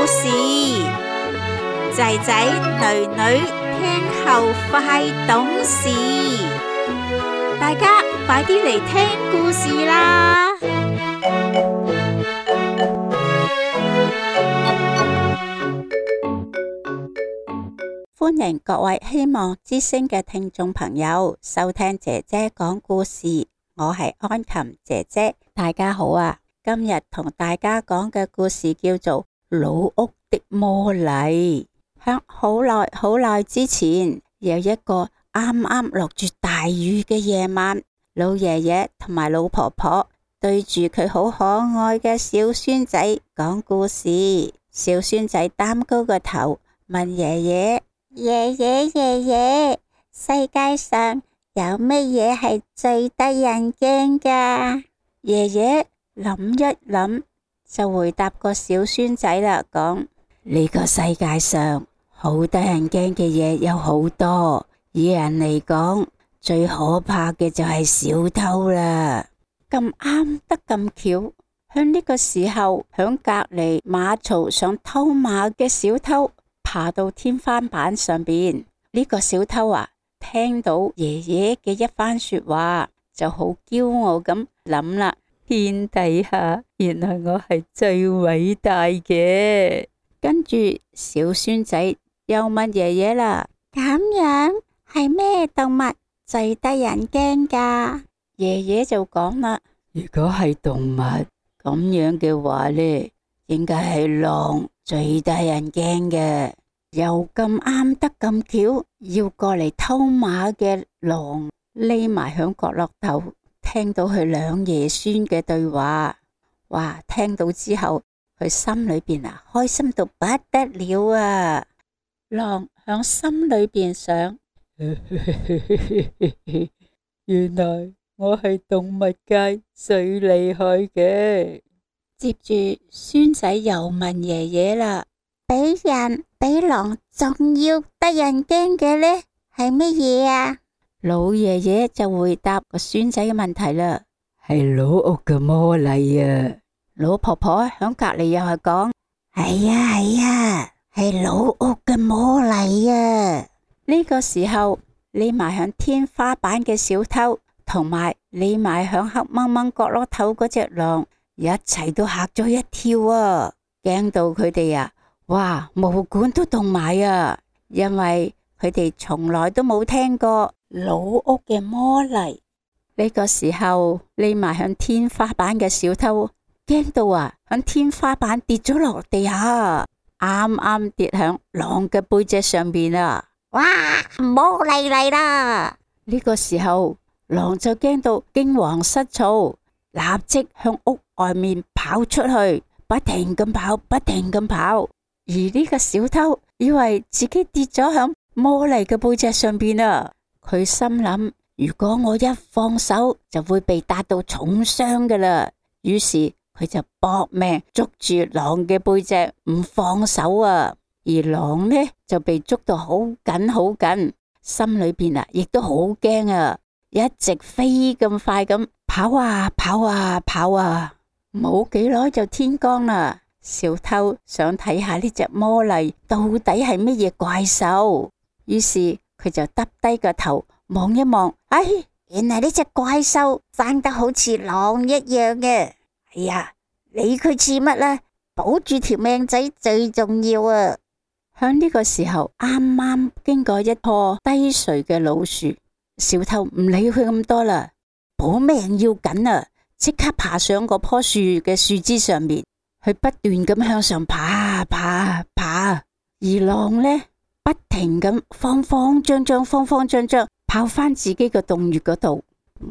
事，仔仔女女聽後快懂事，大家快啲嚟聽故事啦！歡迎各位希望之聲嘅聽眾朋友收聽姐姐講故事，我係安琴姐姐，大家好啊！今日同大家講嘅故事叫做老屋的魔例。響好耐好耐之前，有一個啱啱落住大雨嘅夜晚，老爺爺同埋老婆婆對住佢好可愛嘅小孫仔講故事。小孫仔擔高個頭問爺爺：爺爺爺爺，世界上有乜嘢係最得人驚㗎？爺爺諗一諗就回答個小孫仔啦，講：呢個世界上好得人驚嘅嘢有好多，以人嚟講，最可怕嘅就係小偷啦。咁啱得咁巧，響呢個時候，響隔籬馬槽想偷馬嘅小偷爬到天花板上邊。呢個小偷啊，聽到爺爺嘅一番說話，就好驕傲咁諗啦：天底下原來我係最偉大嘅。跟住小孫仔又問爺爺啦：咁樣係咩動物最得人驚㗎？爺爺就講啦：如果係動物咁樣嘅話呢，應該係狼最得人驚嘅。又咁啱得咁巧，要過嚟偷馬嘅狼匿埋響角落頭，聽到佢兩爺孫嘅對話，哇！聽到之後，佢心裏邊開心到不得了啊！狼響心裏邊想：原來我係動物界最厲害嘅。接住孫仔又問爺爺啦：比人比狼仲要得人驚嘅呢係乜嘢啊？老爺爺就回答個孫仔嘅問題啦：係老屋嘅魔例啊！老婆婆響隔籬又係講：係啊係啊，係老屋嘅魔例啊！呢個時候匿埋響天花板嘅小偷，同埋匿埋響黑掹掹角落頭嗰隻狼，一齊都嚇咗一跳啊！驚到佢哋啊，哇，毛管都凍埋啊！因為佢哋從來都冇聽過老屋嘅魔例。呢個時候匿埋響天花板嘅小偷驚到啊，響天花板跌咗落地下，啱啱跌響狼嘅背脊上邊啊！哇，魔例嚟啦！呢個時候狼就驚到驚惶失措，立即向屋外面跑出去，不停咁跑，不停咁跑。而呢個小偷以為自己跌咗響魔例嘅背脊上邊啊！佢心諗：如果我一放手，就會被打到重傷噶啦。於是佢就搏命捉住狼嘅背脊唔放手啊！而狼呢就被捉到好緊好緊，心裏邊啊亦都好驚啊！一直飛咁快咁跑啊跑啊跑啊，冇幾耐就天光啦。小偷想睇下呢隻魔例到底係乜嘢怪獸，於是佢就耷低個頭望一望，哎，原來呢隻怪獸生得好似狼一樣嘅。哎呀，理佢似乜啦，保住條命仔最重要啊！響呢個時候，啱啱經過一棵低垂嘅老樹，小偷唔理佢咁多啦，保命要緊啊！即刻爬上嗰棵樹嘅樹枝上面，佢不斷咁向上爬爬爬，而狼呢不停咁慌慌張張跑翻自己個洞穴嗰度，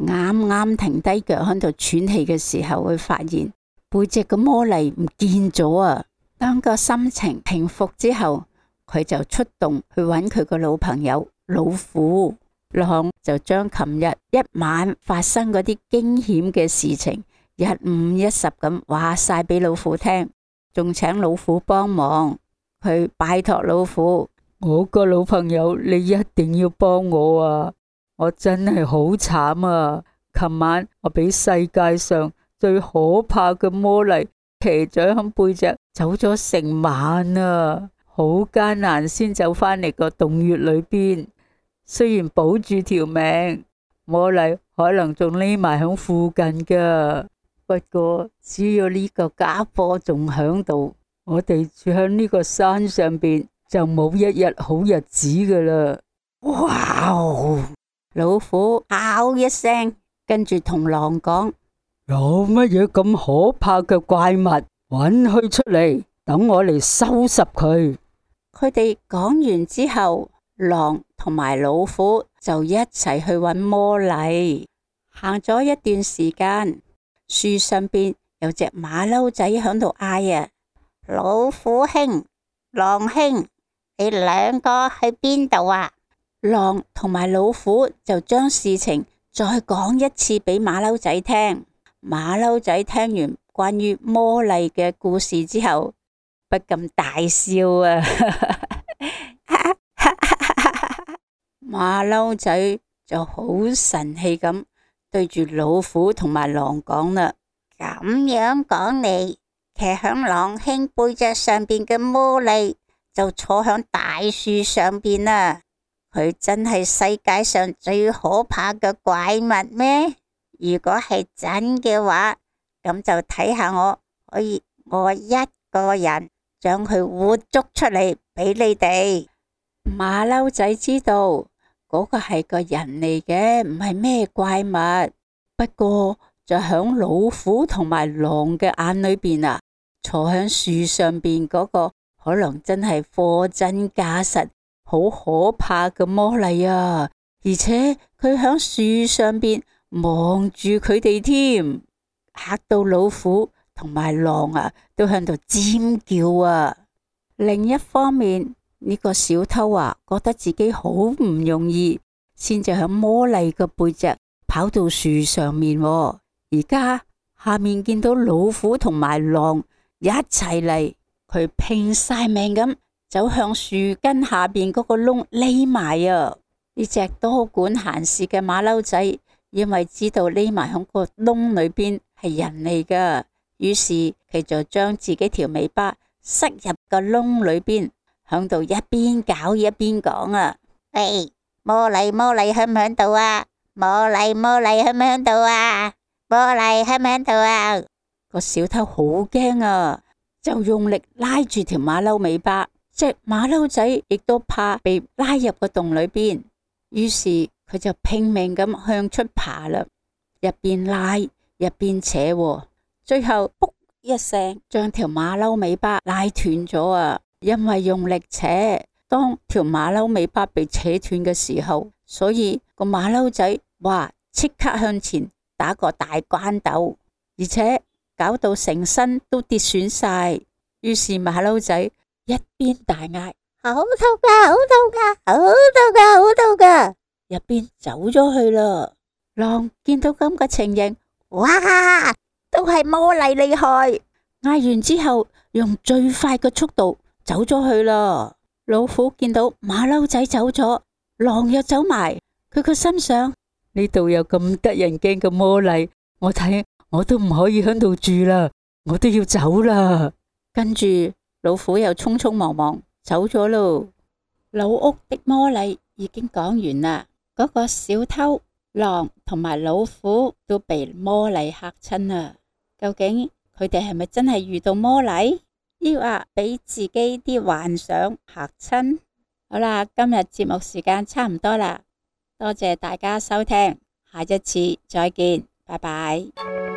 啱啱停低腳喺度喘氣嘅時候，佢發現背脊個魔例唔見咗啊！當個心情平復之後，佢就出動去揾佢個老朋友老虎。狼就將琴日一晚發生嗰啲驚險嘅事情一五一十咁話晒俾老虎聽，仲請老虎幫忙。佢拜託老虎：我個老朋友，你一定要幫我啊！我真係好慘啊！琴晚我俾世界上最可怕嘅魔例騎咗喺背脊走咗成晚啊，好艱難先走返嚟個洞穴裏邊。雖然保住條命，魔麗可能仲匿埋響附近噶。不過只要呢個家伙仲響度，我哋住響呢個山上邊就冇一日好日子噶啦。哇哦！老虎嗷一聲，跟住同狼講：有乜嘢咁可怕嘅怪物？搵佢出嚟，等我嚟收拾佢。佢哋講完之後，狼同埋老虎就一齊去搵魔麗。行咗一段時間，樹上邊有隻馬騮仔響度嗌啊：老虎兄、狼兄，你兩個去邊度啊？狼同埋老虎就將事情再講一次俾馬騮仔聽。馬騮仔聽完關於魔麗嘅故事之後，不禁大笑啊！馬騮仔就好神氣咁對住老虎同埋狼講啦：咁樣講嚟，騎響狼兄背脊上邊嘅魔麗就坐響大樹上邊啦。佢真係世界上最可怕嘅怪物咩？如果係真嘅話，咁就睇下我可以我一個人將佢活捉出嚟俾你哋。馬騮仔知道嗰個係個人嚟嘅，唔係咩怪物。不過就響老虎同埋狼嘅眼裏邊啊，坐響樹上邊嗰個可能真係貨真價實好可怕嘅魔麗啊！而且佢響樹上邊望住佢哋添，嚇到老虎同埋狼啊都響度尖叫啊！另一方面，呢個小偷啊覺得自己好唔容易，先至響魔麗嘅背脊跑到樹上面啊。而家下面見到老虎同埋狼一齊嚟，佢拼晒命咁走向樹根下邊嗰個窿匿埋啊！呢隻多管閒事嘅馬騮仔，因為知道匿埋響個窿裏邊係人嚟噶，於是佢就將自己條尾巴塞入個窿裏邊，響度一邊搞一邊講啊：喂，魔麗魔麗響唔響度啊？魔麗魔麗響唔響度啊？魔麗響唔響度啊？個小偷好驚啊，就用力拉住條馬騮尾巴。隻馬騮仔亦都怕被拉入個洞裏邊，於是佢就拼命咁向出爬啦，一邊拉一邊扯，最後噗一聲將條馬騮尾巴拉斷咗啊！因為用力扯，當條馬騮尾巴被扯斷嘅時候，所以個馬騮仔哇即刻向前打個大關斗，而且搞到成身都跌損晒。於是馬騮仔一邊大嗌：好痛㗎，好痛㗎，好痛㗎，好痛㗎！一邊走咗去啦。狼見到咁嘅情形，哇，都係魔麗厲害！嗌完之後，用最快嘅速度走咗去啦。老虎見到馬騮仔走咗，狼又走埋，佢個心想：呢度有咁得人驚嘅魔麗，我睇我都唔可以喺度住啦，我都要走啦。跟住老虎又匆匆忙忙走咗咯。老屋的魔麗已經講完啦。嗰個小偷、狼同埋老虎都被魔麗嚇親啦。究竟佢哋係咪真係遇到魔麗，抑或俾自己啲幻想嚇親？好啦，今日節目時間差唔多啦，多謝大家收聽，下一次再見，拜拜。